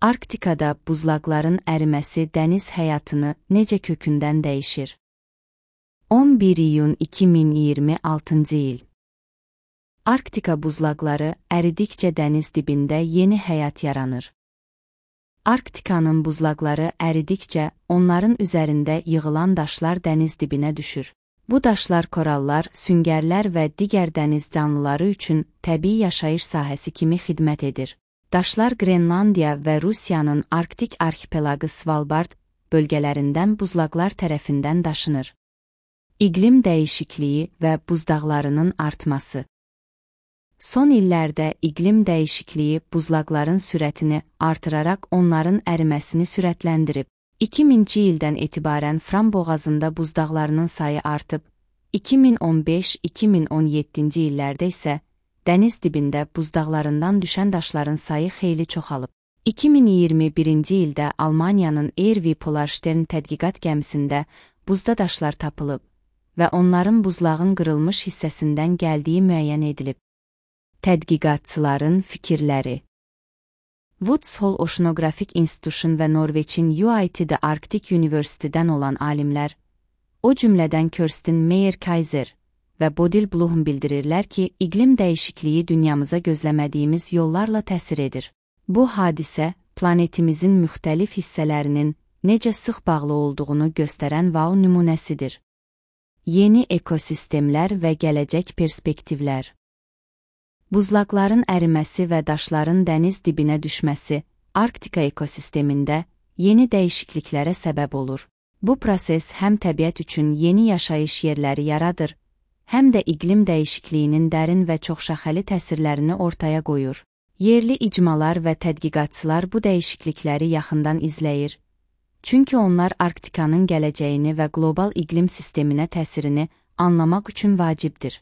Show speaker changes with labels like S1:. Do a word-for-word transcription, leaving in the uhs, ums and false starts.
S1: Arktikada buzlaqların əriməsi dəniz həyatını necə kökündən dəyişir? on bir iyun iki min iyirmi altıncı il. Arktika buzlaqları əridikcə dəniz dibində yeni həyat yaranır. Arktikanın buzlaqları əridikcə onların üzərində yığılan daşlar dəniz dibinə düşür. Bu daşlar korallar, süngərlər və digər dəniz canlıları üçün təbii yaşayış sahəsi kimi xidmət edir. Daşlar Qrenlandiya və Rusiyanın Arktik arxipelaqı Svalbard bölgələrindən buzlaqlar tərəfindən daşınır. İqlim dəyişikliyi və buzdağlarının artması. Son illərdə iqlim dəyişikliyi buzlaqların sürətini artıraraq onların əriməsini sürətləndirib. iki minci ildən etibarən Fram boğazında buzdağlarının sayı artıb, iki min on beş iki min on yeddinci illərdə isə dəniz dibində buzdağlarından düşən daşların sayı xeyli çoxalıb. iki min iyirmi birinci ildə Almaniyanın Ervi Polarstern tədqiqat gəmisində buzda daşlar tapılıb və onların buzlağın qırılmış hissəsindən gəldiyi müəyyən edilib. Tədqiqatçıların fikirləri. Woods Hole Oceanographic Institution və Norveçin U I T'də Arktik University'dən olan alimlər, o cümlədən Kirsten Meyer-Kaiser və Bodil Bloom bildirirlər ki, iqlim dəyişikliyi dünyamıza gözləmədiyimiz yollarla təsir edir. Bu hadisə, planetimizin müxtəlif hissələrinin necə sıx bağlı olduğunu göstərən wow nümunəsidir. Yeni ekosistemlər və gələcək perspektivlər. Buzlaqların əriməsi və daşların dəniz dibinə düşməsi Arktika ekosistemində yeni dəyişikliklərə səbəb olur. Bu proses həm təbiət üçün yeni yaşayış yerləri yaradır, həm də iqlim dəyişikliyinin dərin və çoxşaxəli təsirlərini ortaya qoyur. Yerli icmalar və tədqiqatçılar bu dəyişiklikləri yaxından izləyir, çünki onlar Arktikanın gələcəyini və qlobal iqlim sisteminə təsirini anlamaq üçün vacibdir.